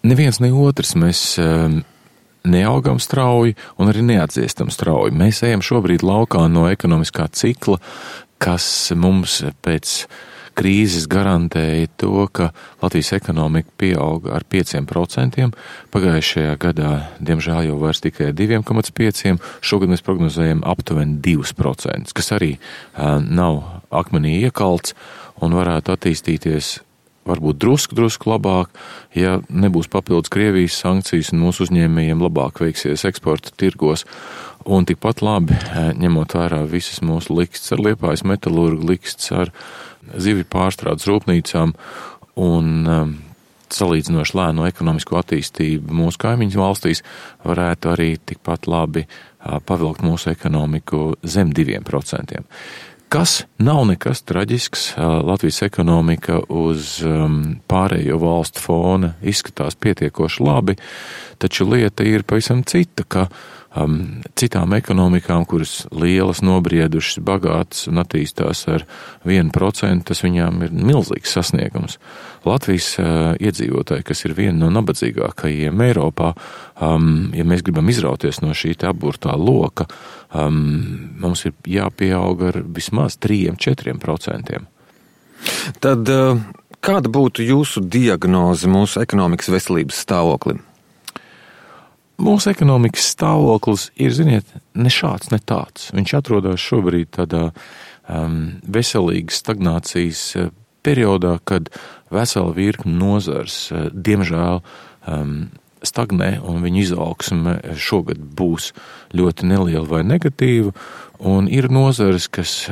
neviens, ne otrs mēs neaugam strauji un arī neatdziestam strauji. Mēs ejam šobrīd laukā no ekonomiskā cikla, kas mums pēc krīzes garantēja to, ka Latvijas ekonomika pieauga ar 5%. Pagājušajā gadā, diemžēl, jau vairs tikai 2,5%. Šogad mēs prognozējam aptuveni 2%, kas arī nav akmenī iekalts un varētu attīstīties varbūt drusku labāk, ja nebūs papildus Krievijas sankcijas un mūsu uzņēmējiem labāk veiksies eksporta tirgos. Un tikpat labi, ņemot vērā visas mūsu likstas ar Liepājas metalurgu, likstas ar zivju pārstrādes rūpnīcām un salīdzinoši lēno ekonomisko attīstību mūsu kaimiņu valstīs, varētu arī tikpat labi pavilkt mūsu ekonomiku zem 2%. Kas nav nekas traģisks, Latvijas ekonomika uz pārējo valstu fona izskatās pietiekoši labi, taču lieta ir pavisam cita, ka citām ekonomikām, kuras lielas, nobriedušas, bagātas un attīstās ar 1%, tas viņām ir milzīgs sasniegums. Latvijas iedzīvotāji, kas ir viena no nabadzīgākajiem Eiropā, ja mēs gribam izrauties no šī aburtā loka, mums ir jāpieaug ar vismaz 3–4%. Tad kāda būtu jūsu diagnoze mūsu ekonomikas veselības stāvoklim? Mūsu ekonomikas stāvoklis ir, ziniet, ne šāds, ne tāds. Viņš atrodas šobrīd tādā veselīgas stagnācijas periodā, kad vesela virkne nozars, diemžēl, stagnē un viņa izaugsme šogad būs ļoti neliela vai negatīva, un ir nozares, kas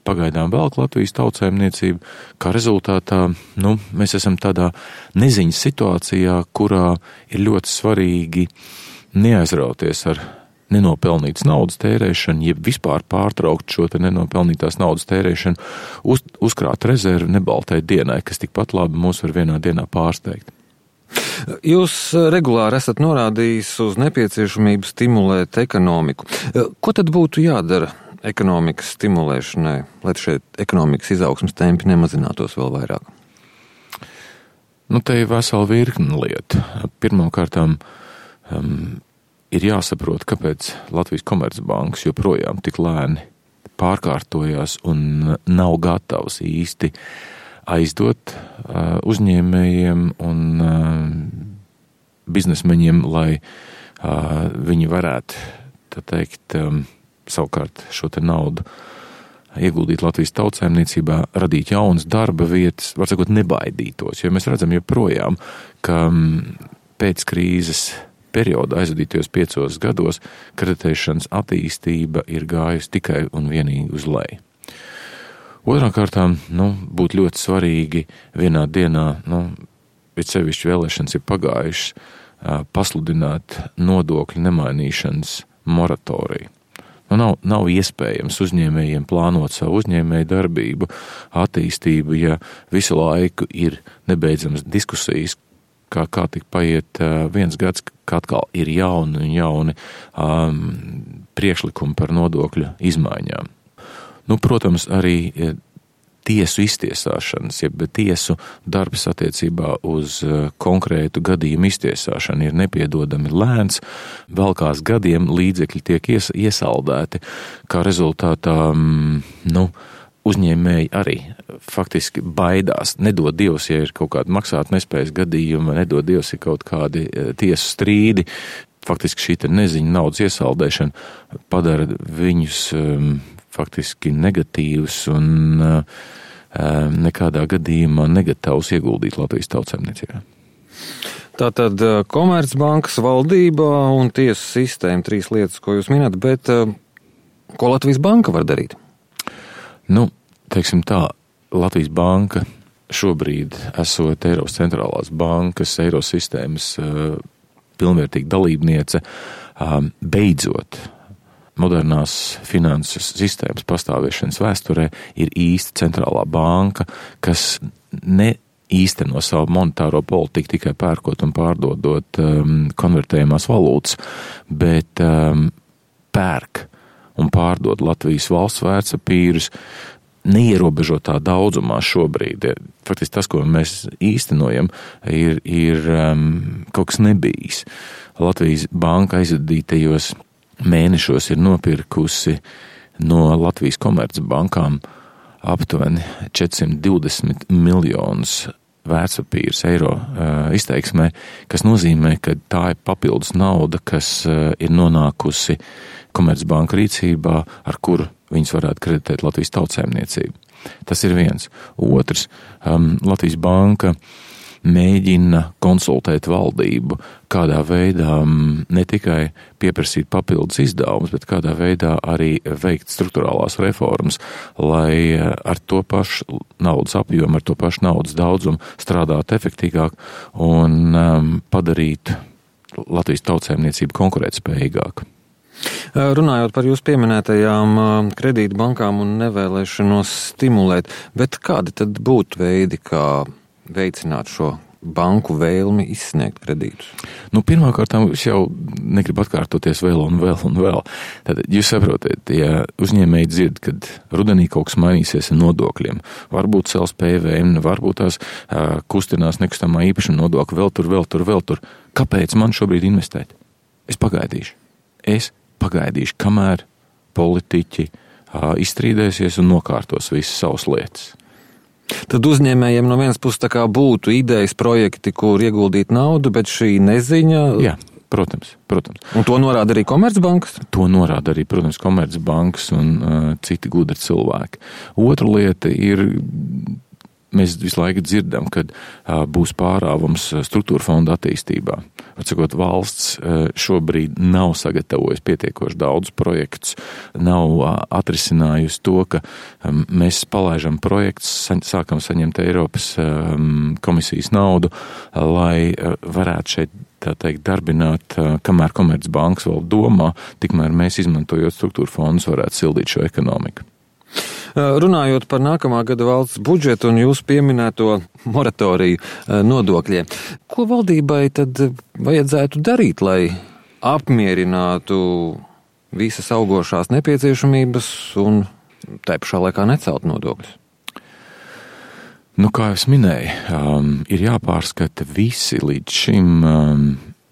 pagaidām velk Latvijas tautsaimniecību, kā rezultātā, mēs esam tādā neziņas situācijā, kurā ir ļoti svarīgi neaizrauties ar nenopelnītas naudas tērēšanu, jeb vispār pārtraukt šo te nenopelnītās naudas tērēšanu, uzkrāt rezervi nebaltai dienai, kas tikpat labi mūs var vienā dienā pārsteigt. Jūs regulāri esat norādījis uz nepieciešamību stimulēt ekonomiku. Ko tad būtu jādara ekonomikas stimulēšanai, lai šeit ekonomikas izaugsmes tempi nemazinātos vēl vairāk? Te ir vesela virkne lieta. Pirmkārtām, ir jāsaprot, kāpēc Latvijas Komercbankas joprojām tik lēni pārkārtojās un nav gatavs īsti aizdot uzņēmējiem un biznesmeņiem, lai viņi varētu, tā teikt, savukārt šo te naudu ieguldīt Latvijas tautsaimniecībā, radīt jaunas darba vietas, var sakot, nebaidītos, jo mēs redzam joprojām, ka pēc krīzes periodā aizvadītajos 5 gados kreditēšanas attīstība ir gājusi tikai un vienīgi uz leju. Otrām kārtām, būtu ļoti svarīgi vienā dienā, bet sevišķi vēlēšanas ir pagājušas, pasludināt nodokļu nemainīšanas moratoriju. Nav iespējams uzņēmējiem plānot savu uzņēmēju darbību, attīstību, ja visu laiku ir nebeidzamas diskusijas, kā tik paiet 1 gads, ka atkal ir jauni priekšlikumi par nodokļu izmaiņām. Protams, arī tiesu iztiesāšanas, jeb tiesu darbs attiecībā uz konkrētu gadījumu iztiesāšanu ir nepiedodami lēns, velkās gadiem līdzekļi tiek iesaldēti, kā rezultātā, uzņēmēji arī faktiski baidās. Nedod Dievs, ja ir kaut kāda maksāt nespējas gadījuma, nedod Dievs, ir kaut kādi tiesu strīdi. Faktiski šī neziņa naudas iesaldēšana padara viņus faktiski negatīvus un nekādā gadījumā negatavus ieguldīt Latvijas tautsaimniecībā. Tātad Komercbankas valdība un tiesu sistēma, 3 lietas, ko jūs minat, bet ko Latvijas banka var darīt? Teiksim tā, Latvijas banka šobrīd esot Eiropas centrālās bankas, Eirosistēmas pilnvērtīga dalībniece, beidzot modernās finanses sistēmas pastāvēšanas vēsturē ir īsta centrālā banka, kas īsteno savu monetāro politiku tikai pērkot un pārdodot konvertējumās valūtas, bet pērk un pārdod Latvijas valsts vērtspapīrus neierobežotā daudzumā šobrīd. Faktiski tas, ko mēs īstenojam, ir kaut kas nebijis. Latvijas banka aizvadītajos mēnešos ir nopirkusi no Latvijas Komercbankām aptuveni 420 miljonus vērtspapīrus eiro izteiksmē, kas nozīmē, ka tā ir papildus nauda, kas ir nonākusi Komercbanka rīcībā, ar kuru viņas varētu kreditēt Latvijas tautsēmniecību. Tas ir viens. Otrs, Latvijas banka mēģina konsultēt valdību, kādā veidā ne tikai pieprasīt papildus izdevumus, bet kādā veidā arī veikt struktūrālās reformas, lai ar to pašu naudas apjomu, ar to pašu naudas daudzumu strādāt efektīgāk un padarīt Latvijas tautsēmniecību konkurētspējīgāku. Runājot par jūsu pieminētajām kredītbankām un nevēlēšanos stimulēt, bet kādi tad būtu veidi, kā veicināt šo banku vēlmi izsniegt kredītus? Pirmkārt, es jau negribu atkārtoties vēl un vēl un vēl. Tad jūs saprotat, ja uzņēmēji dzird, kad rudenī kaut kas mainīsies ar nodokļiem, varbūt cels PVN, varbūt tās kustinās nekustamā īpašuma nodokļa, vēl tur. Kāpēc man šobrīd investēt? Es pagaidīšu, kamēr politiķi izstrīdēsies un nokārtos visas savas lietas. Tad uzņēmējiem no vienas puses tā kā būtu idejas projekti, kur ieguldīt naudu, bet šī neziņa... Jā, protams. Un to norāda arī Komercbankas? To norāda arī, protams, Komercbankas un citi gudri cilvēki. Otra lieta ir... Mēs visu laiku dzirdam, kad būs pārāvums struktūra fonda attīstībā. Atsakot, valsts šobrīd nav sagatavojusi pietiekoši daudz projektus, nav atrisinājusi to, ka mēs palaižam projektus, sākam saņemt Eiropas komisijas naudu, lai varētu šeit, tā teikt, darbināt, kamēr Komercbankas vēl domā, tikmēr mēs izmantojot struktūra fondus varētu sildīt šo ekonomiku. Runājot par nākamā gada valsts budžetu un jūsu pieminēto moratoriju nodokļiem, ko valdībai tad vajadzētu darīt, lai apmierinātu visas augošās nepieciešamības un tai pašā laikā necelt nodokļus? Kā es minēju, ir jāpārskata visi līdz šim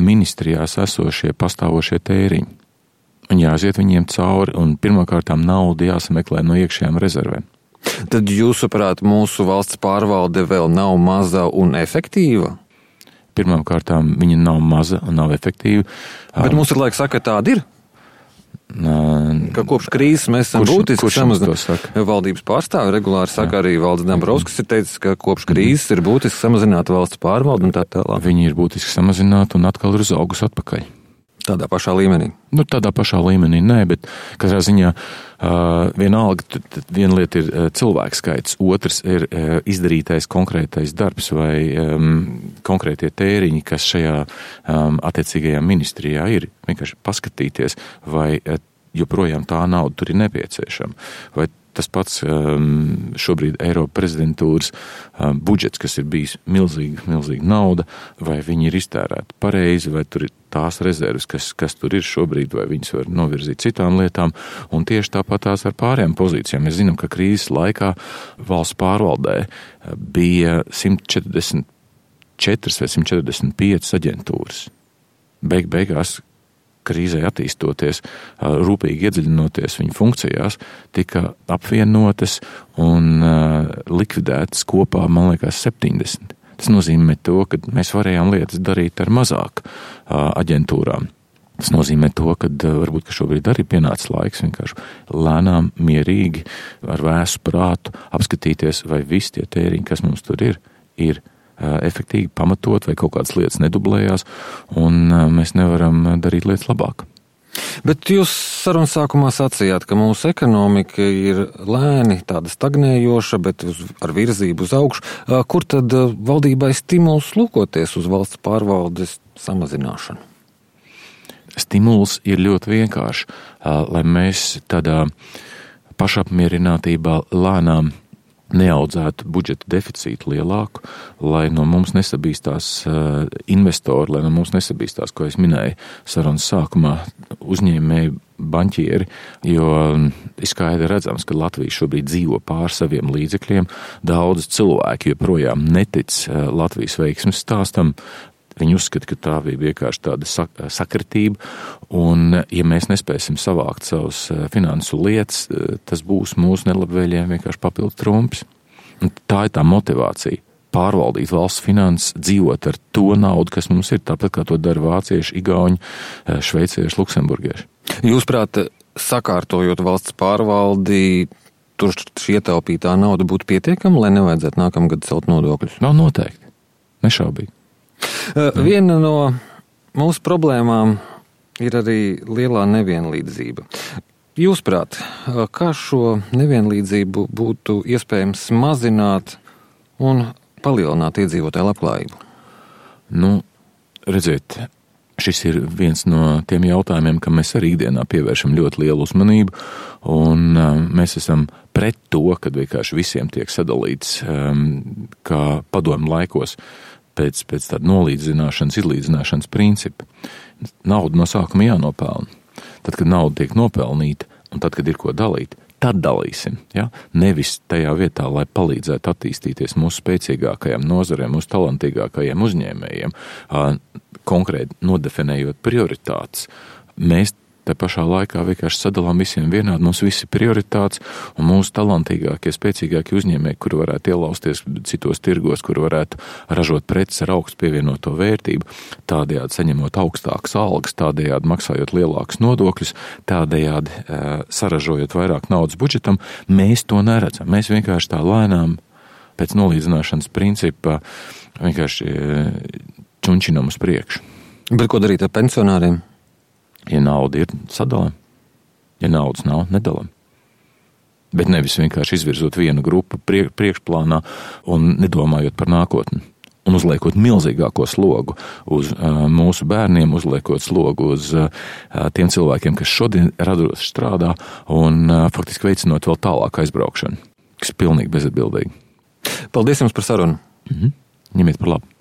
ministrijās esošie pastāvošie tēriņi. Un jāiziet viņiem cauri, un pirmkārtām naudu jāsameklē no iekšējām rezervēm. Tad jūsuprāt, mūsu valsts pārvalde vēl nav maza un efektīva? Pirmkārtām viņa nav maza un nav efektīva. Bet mums ir laiks saka, ka tāda ir? Ka kopš krīzes mēs esam būtiski samazināti. Valdības pārstāvi regulāri saka, arī Valdis Dombrovskis ir teicis, ka kopš krīzes ir būtiski samazināta valsts pārvalde un tā tālāk. Viņi ir būtiski samazināti un atkal ir uzaugusi atpakaļ. Tādā pašā līmenī? Tādā pašā līmenī nē, bet katrā ziņā vienalga, viena lieta ir cilvēku skaits, otrs ir izdarītais konkrētais darbs vai konkrētie tēriņi, kas šajā attiecīgajā ministrijā ir. Vienkārši paskatīties, vai joprojām tā nauda tur ir nepieciešama. Vai tas pats šobrīd Eiropa prezidentūras budžets, kas ir bijis milzīga nauda, vai viņi ir iztērēti pareizi, vai tur ir tās rezerves, kas tur ir šobrīd, vai viņas var novirzīt citām lietām, un tieši tāpat tās ar pārējām pozīcijām. Mēs zinām, ka krīzes laikā valsts pārvaldē bija 144 vai 145 aģentūras. Beigās krīzē attīstoties, rūpīgi iedziļinoties viņu funkcijās, tika apvienotas un likvidētas kopā, man liekas, 70. Tas nozīmē to, ka mēs varējām lietas darīt ar mazāk aģentūrām. Tas nozīmē to, ka varbūt, ka šobrīd arī pienācis laiks vienkārši lēnām, mierīgi, ar vēsu prātu apskatīties, vai visi tie tēriņi, kas mums tur ir efektīgi pamatot, vai kaut kādas lietas nedublējās, un mēs nevaram darīt lietas labāk. Bet jūs sarunas sākumā sacījāt, ka mūsu ekonomika ir lēni tāda stagnējoša, bet ar virzību uz augšu. Kur tad valdībai stimuls lūkoties uz valsts pārvaldes samazināšanu? Stimuls ir ļoti vienkārši, lai mēs tādā pašapmierinātībā lēnām neaudzētu budžeta deficītu lielāku, lai no mums nesabīstās investori, lai no mums nesabīstās, ko es minēju sarunas sākumā, uzņēmēji, banķieri, jo ir skaidri redzams, ka Latvija šobrīd dzīvo pār saviem līdzekļiem. Daudz cilvēki joprojām netic Latvijas veiksmes stāstam. Viņi uzskata, ka tā bija vienkārši tāda sakritība, un ja mēs nespēsim savākt savus finansu lietas, tas būs mūsu nelabvēlējiem vienkārši papildu trumpis. Un tā ir tā motivācija. Pārvaldīt valsts finanses, dzīvot ar to naudu, kas mums ir, tāpat kā to dara vācieši, igauņi, šveicieši, luksemburgieši. Jūsuprāt, sakārtojot valsts pārvaldi, tur šī ietaupītā nauda būtu pietiekama, lai nevajadzētu nākamgad celt nodokļus? Nav noteikti. Nešaubīgi. Viena no mūsu problēmām ir arī lielā nevienlīdzība. Jūsuprāt, kā šo nevienlīdzību būtu iespējams mazināt un palielināt iedzīvotāju labklājību? Redziet, šis ir viens no tiem jautājumiem, kam mēs arī ikdienā pievēršam ļoti lielu uzmanību, un mēs esam pret to, kad vienkārši visiem tiek sadalīts kā padomju laikos pēc tāda nolīdzināšanas, izlīdzināšanas principa. Nauda no sākuma jānopelna. Tad, kad nauda tiek nopelnīta, un tad, kad ir ko dalīt, tad dalīsim. Ja? Nevis tajā vietā, lai palīdzētu attīstīties mūsu spēcīgākajiem nozarēm, mūsu talantīgākajiem uzņēmējiem, konkrēti nodefinējot prioritātes. Mēs te pašā laikā vienkārši sadalām visiem vienādi, mums visi prioritātes, un mūsu talantīgākie, spēcīgākie uzņēmēji, kuri varētu ielausties citos tirgos, kuri varētu ražot preces ar augstu pievienoto vērtību, tādējādi saņemot augstākas algas, tādējādi maksājot lielākus nodokļus, tādējādi saražojot vairāk naudas budžetam, mēs to neredzam. Mēs vienkārši tā lēnām pēc nolīdzināšanas principa vienkārši čunčinam uz priekšu. Bet ko darīt ar pensionāriem? Ja nauda ir, sadalām. Ja naudas nav, nedalām. Bet nevis vienkārši izvirzot vienu grupu priekšplānā un nedomājot par nākotni. Un uzliekot milzīgāko slogu uz mūsu bērniem, uzliekot slogu uz tiem cilvēkiem, kas šodien radoši strādā un faktiski veicinot vēl tālāk aizbraukšanu, kas ir pilnīgi bezatbildīgi. Paldies jums par sarunu. Ņemiet par labu.